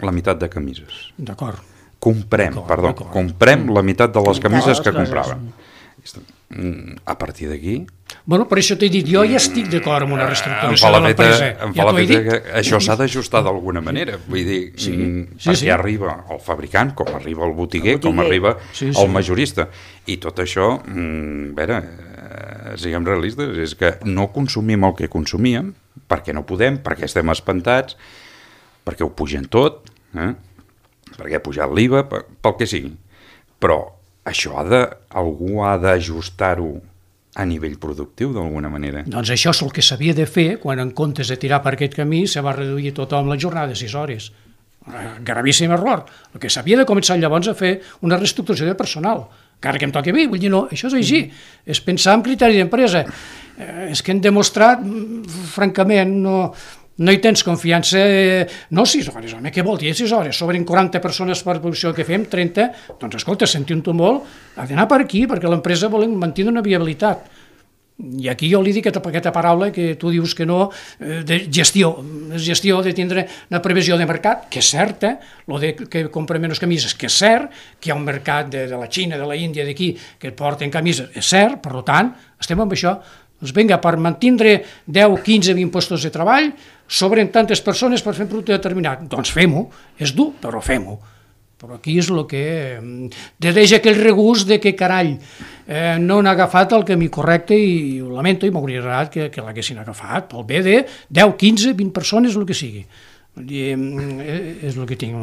la meitat de camises. D'acord. Comprem la meitat de les camises que compràvem. A partir d'aquí... Bueno, per això t'he dit, jo ja estic d'acord amb una reestructuració de l'empresa. Em fa la feta que això s'ha d'ajustar d'alguna manera. Vull dir, perquè arriba el fabricant, com arriba el botiguer, com arriba el majorista. I tot això, a veure, siguem realistes, és que no consumim el que consumíem, perquè no podem, perquè estem espantats, perquè ho pugen tot, perquè ha pujat l'IVA, pel que sigui. Però això algú ha d'ajustar-ho a nivell productiu, d'alguna manera. Doncs això és el que s'havia de fer quan, en comptes de tirar per aquest camí, se va reduir tothom la jornada de 6 hores. Gravíssim error. El que s'havia de començar llavors a fer una reestructuració de personal, encara que em toqui a mi, vull dir, no, això és així, és pensar en criteri d'empresa. És que hem demostrat, francament, no hi tens confiança, no 6 hores, home, què vol dir 6 hores? Sobren 40 persones per producció que fem, 30, doncs escolta, sentint-ho molt, ha d'anar per aquí, perquè l'empresa vol mantenir una viabilitat. I aquí jo li dic aquesta paraula que tu dius que no, de gestió de tindre una previsió de mercat, que és certa, el de que compren menys camises, que és cert, que hi ha un mercat de la Xina, de la Índia, d'aquí, que porten camises, és cert, per tant, estem amb això. Doncs vinga, per mantindre 10, 15, 20 postos de treball, sobren tantes persones per fer un producte determinat. Doncs fem-ho, és dur, però fem-ho. Però aquí és el que... Deixa aquell regust de que, carai, no han agafat el camí correcte i ho lamento i m'hauria agradat que l'haguessin agafat pel bé de 10, 15, 20 persones, el que sigui. És el que tinc.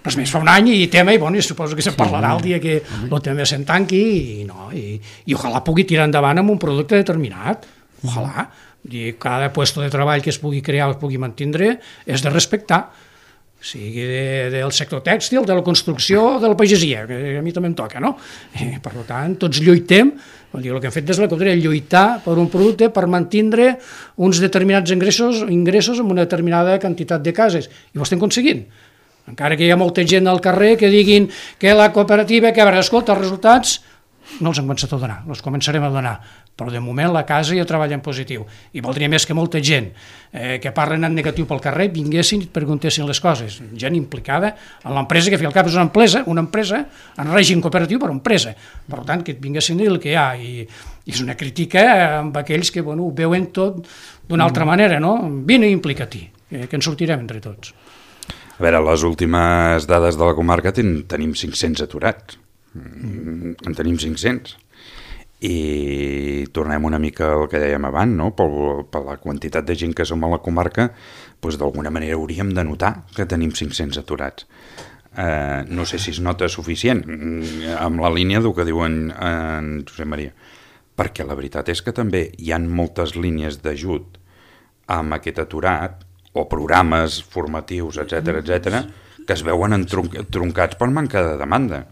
Res més, fa un any i tema, i bueno, suposo que se'n parlarà el dia que el tema se'n tanqui i ojalà pugui tirar endavant amb un producte determinat. Ojalà. Cada puesto de treball que es pugui crear o es pugui mantindre és de respectar, sigui del sector tèxtil, de la construcció o de la pagesia, que a mi també em toca, no? Per tant, tots lluitem, el que hem fet des de la contrària, lluitar per un producte per mantindre uns determinats ingressos amb una determinada quantitat de cases, i ho estem aconseguint. Encara que hi ha molta gent al carrer que diguin que la cooperativa, que a veure, escolta, els resultats no els hem començat a donar, els començarem a donar, però de moment la casa ja treballa en positiu, i voldria més que molta gent que parlen en negatiu pel carrer vinguessin i et preguntessin les coses, gent implicada en l'empresa, que al cap és una empresa en règim cooperatiu, però empresa, per tant que et vinguessin a dir el que hi ha, i és una crítica amb aquells que ho veuen tot d'una altra manera, no? Vine i implica-t'hi, que en sortirem entre tots. A veure, les últimes dades de la comarca tenim 500 aturats. En tenim 500 i tornem una mica al que dèiem abans, no? Per la quantitat de gent que som a la comarca, doncs d'alguna manera hauríem de notar que tenim 500 aturats. No sé si es nota suficient amb la línia del que diuen en Josep Maria, perquè la veritat és que també hi ha moltes línies d'ajut amb aquest aturat o programes formatius, etc, que es veuen troncats per manca de demanda.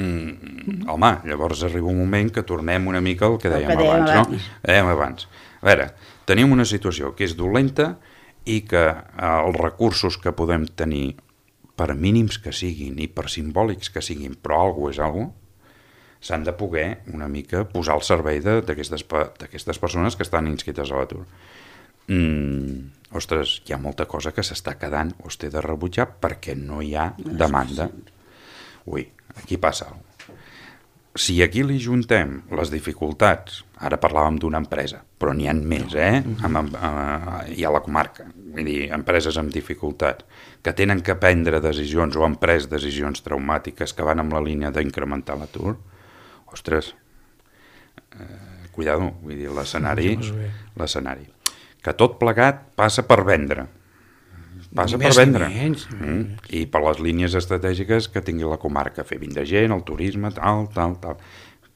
Home, llavors arriba un moment que tornem una mica al que dèiem abans, no? Abans. A veure, tenim una situació que és dolenta i que els recursos que podem tenir, per mínims que siguin i per simbòlics que siguin, però alguna és alguna, s'han de poder una mica posar al servei d'aquestes persones que estan inscrites a l'atur. Ostres, hi ha molta cosa que s'està quedant o es té de rebutjar perquè no hi ha demanda. Ui, aquí passa alguna cosa. Si aquí li juntem les dificultats, ara parlàvem d'una empresa, però n'hi ha més, hi ha la comarca, vull dir, empreses amb dificultats, que tenen que prendre decisions o han pres decisions traumàtiques que van amb la línia d'incrementar l'atur, ostres, cuidado, vull dir, l'escenari, que tot plegat passa per vendre. Passa per vendre. I per les línies estratègiques que tingui la comarca, fer vindre gent, el turisme, tal,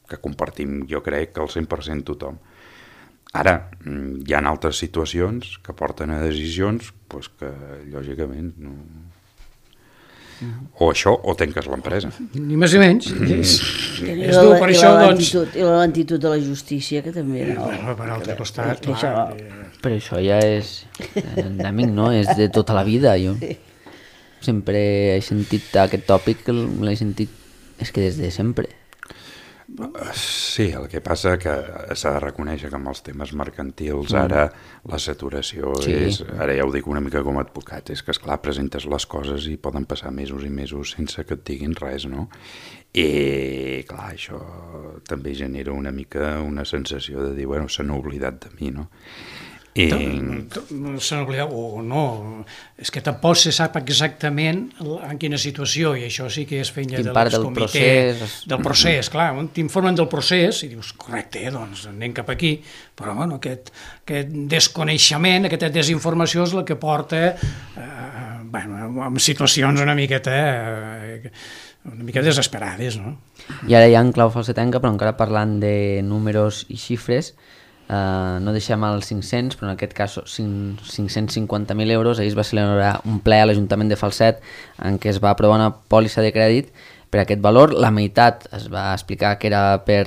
que compartim, jo crec, que el 100% tothom. Ara, hi ha altres situacions que porten a decisions doncs, que, lògicament, no... O això, o tanques l'empresa. Ni més ni menys. I la lentitud de la justícia, que també... No? Per altre costat, Però això ja és endèmic, no? És de tota la vida. Jo sempre he sentit aquest tòpic, l'he sentit, és que des de sempre. Sí, el que passa que s'ha de reconèixer que amb els temes mercantils ara la saturació és, ara ja ho dic una mica com a advocat, és que esclar, presentes les coses i poden passar mesos i mesos sense que et diguin res, no? I clar, això també genera una mica una sensació de dir, bueno, s'han oblidat de mi, no? S'han oblidat o no, és que tampoc se sap exactament en quina situació, i això sí que és feina de l'excomitè del procés, clar, t'informen del procés i dius, correcte, doncs anem cap aquí, però bueno, aquest desconeixement, aquesta desinformació és la que porta a situacions una miqueta desesperades, no? I ara ja en clau falsetenca, però encara parlant de números i xifres, no deixem els 500, però en aquest cas 550.000 euros. Ahir es va celebrar un ple a l'Ajuntament de Falset en què es va aprovar una pòlissa de crèdit per aquest valor. La meitat es va explicar que era per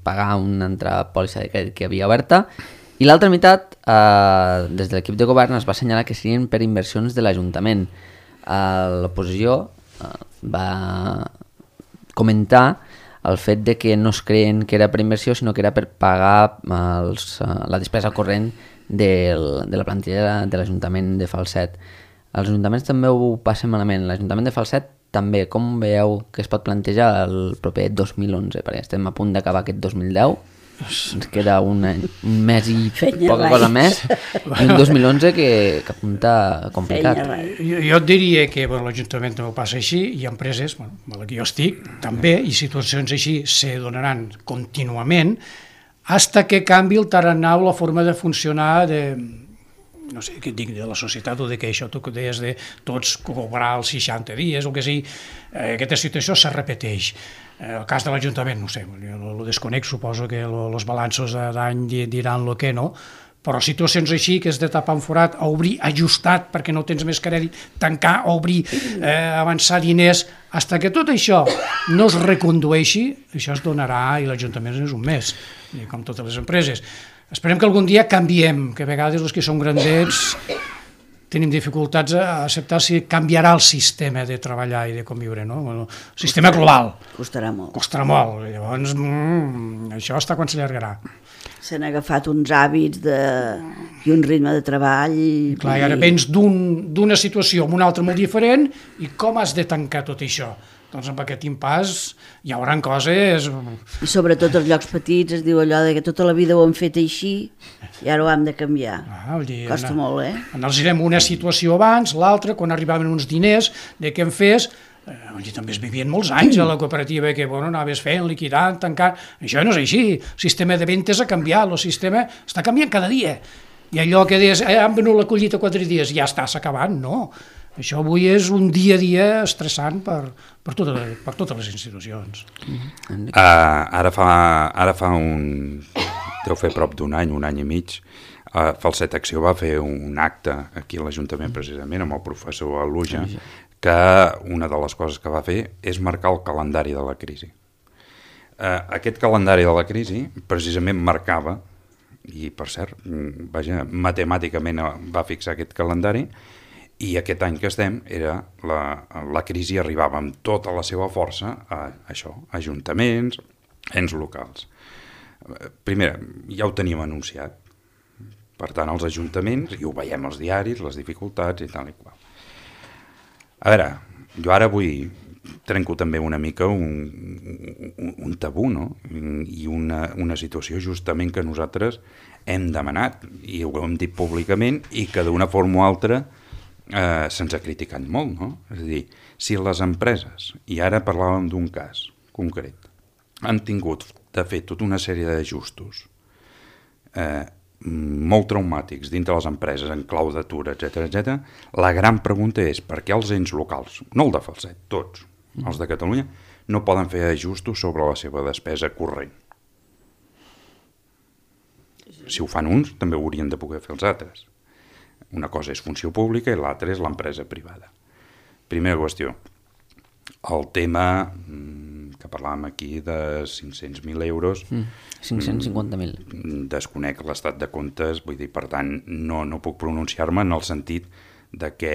pagar una altra pòlissa de crèdit que havia oberta, i l'altra meitat, des de l'equip de govern, es va assenyalar que serien per inversions de l'Ajuntament. L'oposició va comentar el fet de que no es creien que era per inversió, sinó que era per pagar la despesa corrent de la plantilla de l'Ajuntament de Falset. Els ajuntaments també ho passen malament. L'Ajuntament de Falset també, com veieu que es pot plantejar el proper 2011? Perquè estem a punt d'acabar aquest 2010, ens queda un mes i poca cosa més, i un 2011 que apunta complicat. Jo et diria que l'Ajuntament no ho passa així, i empreses, amb la que jo estic, també, i situacions així se donaran contínuament, fins que canvi el tarannà o la forma de funcionar no sé què et dic, de la societat, o de que això tu deies de tots cobrar els 60 dies, o que sigui, aquesta situació se repeteix. El cas de l'Ajuntament, no sé, jo ho desconec, suposo que els balanços d'any diran el que no, però situacions així, que és de tapar un forat, obrir ajustat perquè no tens més crèdit, tancar, obrir, avançar diners, fins que tot això no es recondueixi, això es donarà, i l'Ajuntament és un mes, com totes les empreses. Esperem que algun dia canviem, que a vegades els que som grandets tenim dificultats a acceptar si canviarà el sistema de treballar i de conviure, no? El sistema global. Costarà molt. Costarà molt. Llavors, això està quan s'allargarà. S'han agafat uns hàbits i un ritme de treball. Clar, i ara vens d'una situació amb una altra molt diferent, i com has de tancar tot això? Doncs amb aquest impàs hi haurà coses... I sobretot els llocs petits es diu allò de que tota la vida ho hem fet així i ara ho hem de canviar. Costa molt, Ens direm una situació abans, l'altra, quan arribaven uns diners, de què en fes... també es vivien molts anys a la cooperativa, que anaves fent, liquidant, tancant... Això no és així. El sistema de ventes ha canviat, el sistema està canviant cada dia. I allò que deies, han venut la collita 4 dies, ja està, s'ha acabat, no. Això avui és un dia a dia estressant per totes les institucions. Ara fa deu fer prop d'un any i mig, Falset Acció va fer un acte aquí a l'Ajuntament, precisament, amb el professor Aluja, que una de les coses que va fer és marcar el calendari de la crisi. Aquest calendari de la crisi precisament marcava, i per cert, matemàticament va fixar aquest calendari, i aquest any que estem, la crisi arribava amb tota la seva força a això, ajuntaments, ens locals. Primer, ja ho teníem anunciat. Per tant, els ajuntaments, i ho veiem als diaris, les dificultats i tal i qual. A veure, jo ara trenco també una mica un tabú, no? I una situació justament que nosaltres hem demanat, i ho hem dit públicament, i que d'una forma o altra se'ns ha criticat molt, no? És a dir, si les empreses, i ara parlàvem d'un cas concret, han tingut de fer tota una sèrie d'ajustos molt traumàtics dintre les empreses en clau d'atur, etc. La gran pregunta és per què els ens locals, no el de Falset, tots els de Catalunya, no poden fer ajustos sobre la seva despesa corrent. Si ho fan uns, també ho haurien de poder fer els altres. Una cosa és funció pública i l'altra és l'empresa privada. Primera qüestió. El tema que parlàvem aquí de 500.000 euros... 550.000. Desconec l'estat de comptes, vull dir, per tant, no puc pronunciar-me en el sentit de que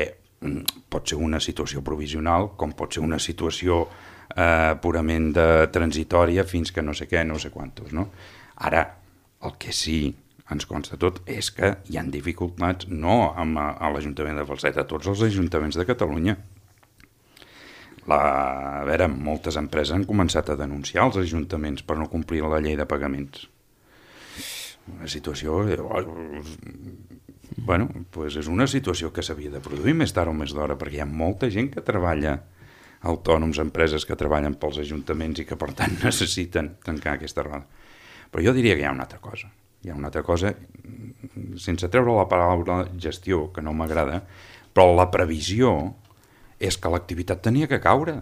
pot ser una situació provisional, com pot ser una situació purament transitòria fins que no sé què, no sé quantos, no? Ara, el que sí ens consta tot és que hi ha dificultats no a l'Ajuntament de Falset, a tots els ajuntaments de Catalunya. A veure, moltes empreses han començat a denunciar els ajuntaments per no complir la llei de pagaments. Una situació... Bueno, doncs és una situació que s'havia de produir més tard o més d'hora, perquè hi ha molta gent que treballa, autònoms, empreses que treballen pels ajuntaments i que, per tant, necessiten tancar aquesta roda. Però jo diria que hi ha una altra cosa. Hi ha una altra cosa, sense treure la paraula gestió, que no m'agrada, però la previsió és que l'activitat tenia que caure.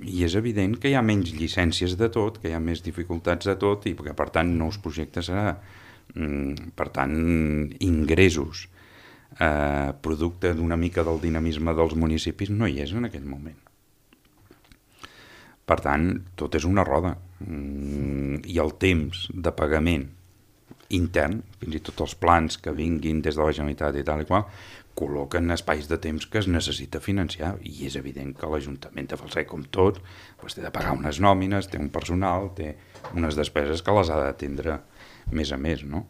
I és evident que hi ha menys llicències de tot, que hi ha més dificultats de tot i que, per tant, nous projectes serà. Per tant, ingressos, producte d'una mica del dinamisme dels municipis, no hi és en aquell moment. Per tant, tot és una roda. I el temps de pagament intern, fins i tot els plans que vinguin des de la Generalitat i tal i qual, col·loquen espais de temps que es necessita financiar i és evident que l'Ajuntament de Falset, com tot, té de pagar unes nòmines, té un personal, té unes despeses que les ha d'atendre més a més, no?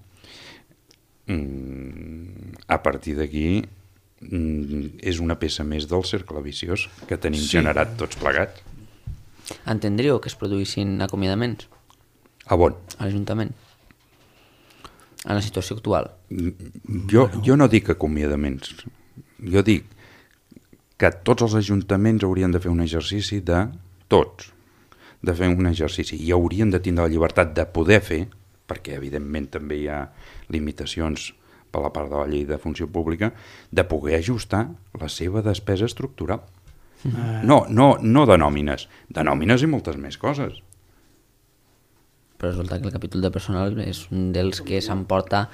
A partir d'aquí és una peça més del cercle viciós que tenim generat tots plegats. Entendríeu que es produïssin acomiadaments? A on? A l'Ajuntament? En la situació actual? Jo no dic acomiadaments. Jo dic que tots els ajuntaments haurien de fer un exercici de fer un exercici i haurien de tindre la llibertat de poder fer, perquè evidentment també hi ha limitacions per la part de la llei de funció pública, de poder ajustar la seva despesa estructural. No de nòmines i moltes més coses. Però resulta que el capítol de personal és un dels que s'emporta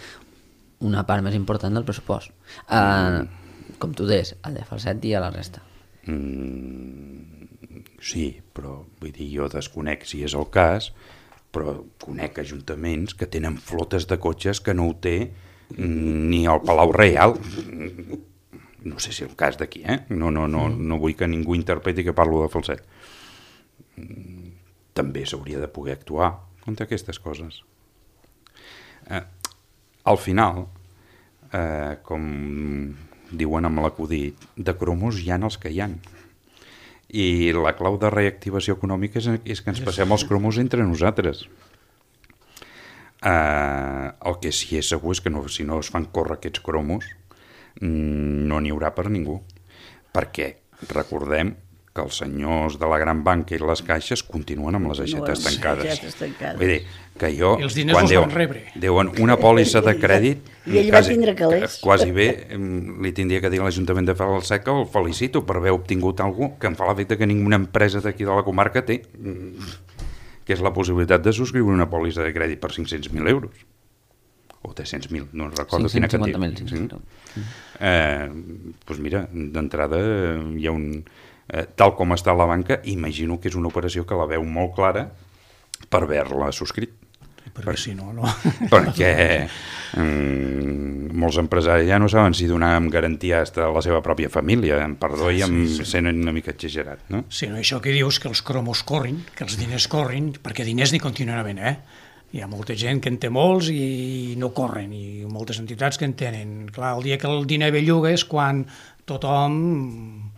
una part més important del pressupost. Com tu deies, el de Falset i a la resta. Sí, però vull dir, jo desconec si és el cas, però conec ajuntaments que tenen flotes de cotxes que no ho té ni al Palau Reial. No sé si és el cas d'aquí, no vull que ningú interpreti que parlo de Falset. També s'hauria de poder actuar contra aquestes coses. Al final, com diuen amb l'acudit, de cromos hi ha els que hi ha. I la clau de reactivació econòmica és que ens passem els cromos entre nosaltres. El que sí és segur és que si no es fan córrer aquests cromos, no n'hi haurà per ningú. Perquè recordem que els senyors de la gran banca i les caixes continuen amb les aixetes tancades. Vull dir, que jo... I els diners els van rebre. Diuen una pòlissa de crèdit... I ell va tindre calés. Quasi bé li tindria que dir a l'Ajuntament de Falset que el felicito per haver obtingut alguna cosa que em fa l'efecte que ninguna empresa d'aquí de la comarca té, que és la possibilitat de subscriure una pòlissa de crèdit per 500.000 euros. O 300.000, no recordo quina quantitat. 550.000. Doncs mira, d'entrada hi ha un... tal com està la banca, imagino que és una operació que la veu molt clara per haver-la subscrit. Perquè si no... Perquè molts empresaris ja no saben si donar amb garantia a la seva pròpia família, perdó, i sent una mica exagerat, no? Sí, no, això que dius, que els cromos corrin, que els diners corrin, perquè diners n'hi continuen havent, Hi ha molta gent que en té molts i no corren, i moltes entitats que en tenen. Clar, el dia que el diner belluga és quan tothom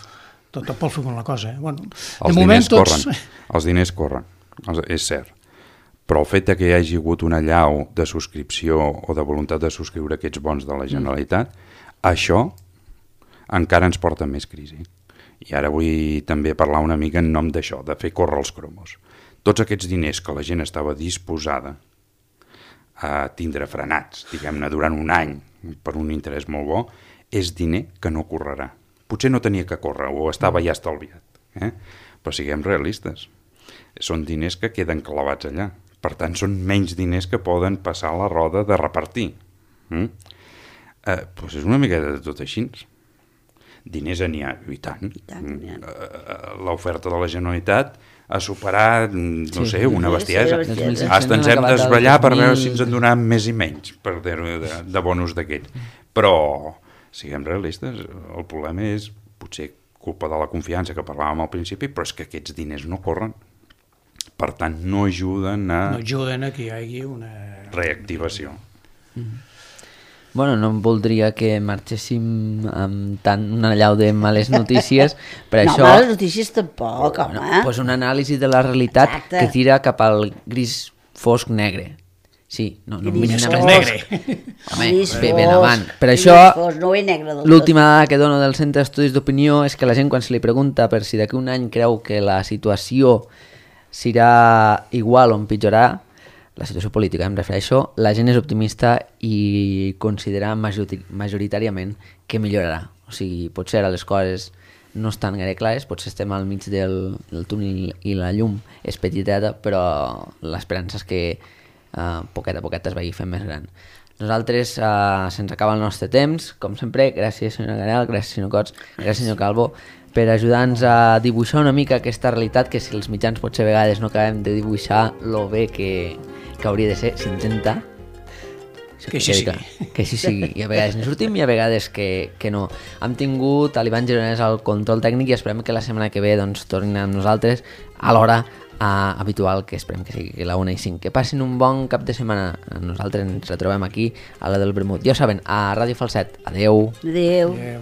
pot fer una cosa. Bueno, els diners corren, és cert. Però el fet que hi hagi hagut una allau de subscripció o de voluntat de subscriure aquests bons de la Generalitat, això encara ens porta més crisi. I ara vull també parlar una mica en nom d'això, de fer córrer els cromos. tots aquests diners que la gent estava disposada a tindre frenats, diguem-ne, durant un any per un interès molt bo, és diner que no correrà. Potser no tenia que córrer o estava ja estalviat, però siguem realistes. Són diners que queden clavats allà. Per tant, són menys diners que poden passar a la roda de repartir. Doncs és una miqueta de tot així. Diners n'hi ha, i tant. L'oferta de la Generalitat ha superat, no sé, una bestiesa. Hasta ens hem d'esballar per veure si ens en donaran més i menys, per dir-ho de bonus d'aquests. Però, siguem realistes, el problema és potser culpa de la confiança que parlàvem al principi, però és que aquests diners no corren. Per tant, no ajuden a... No ajuden a que hi hagi una... reactivació. Bueno, no voldria que marxéssim amb tant una allau de males notícies, per No, això... males notícies tampoc, home. Pues una anàlisi de la realitat Exacte. que tira cap al gris fosc negre. Sí, no Gris vull anar fosc. més negre. Home, Gris ben fosc, avant. Per gris això, fosc, no ve negre del l'última dada que dono del Centre d'Estudis d'Opinió és que la gent, quan se li pregunta per si d'aquí un any creu que la situació serà igual o empitjorarà, la situació política em refereixo, la gent és optimista i considera majoritàriament que millorarà. O sigui, potser ara les coses no estan gaire clares, potser estem al mig del túnel i la llum és petiteta, però l'esperança és que poquet a poquet es vagi fent més gran. Nosaltres se'ns acaba el nostre temps, com sempre, gràcies senyora Garel, gràcies senyor Cots, gràcies senyor Calvo, per ajudar-nos a dibuixar una mica aquesta realitat que si els mitjans potser a vegades no acabem de dibuixar lo bé que hauria de ser, s'intenta que així sigui. Que així sigui, i a vegades ne sortim i a vegades que no. Hem tingut a l'Ivan Gironès al control tècnic i esperem que la setmana que ve doncs, tornin amb nosaltres a l'hora habitual, que esperem que sigui la 1:05. Que passin un bon cap de setmana. Nosaltres ens retrobem aquí a la del Vermut. Ja ho saben, a Ràdio Falset. Adeu. Adéu. Adéu.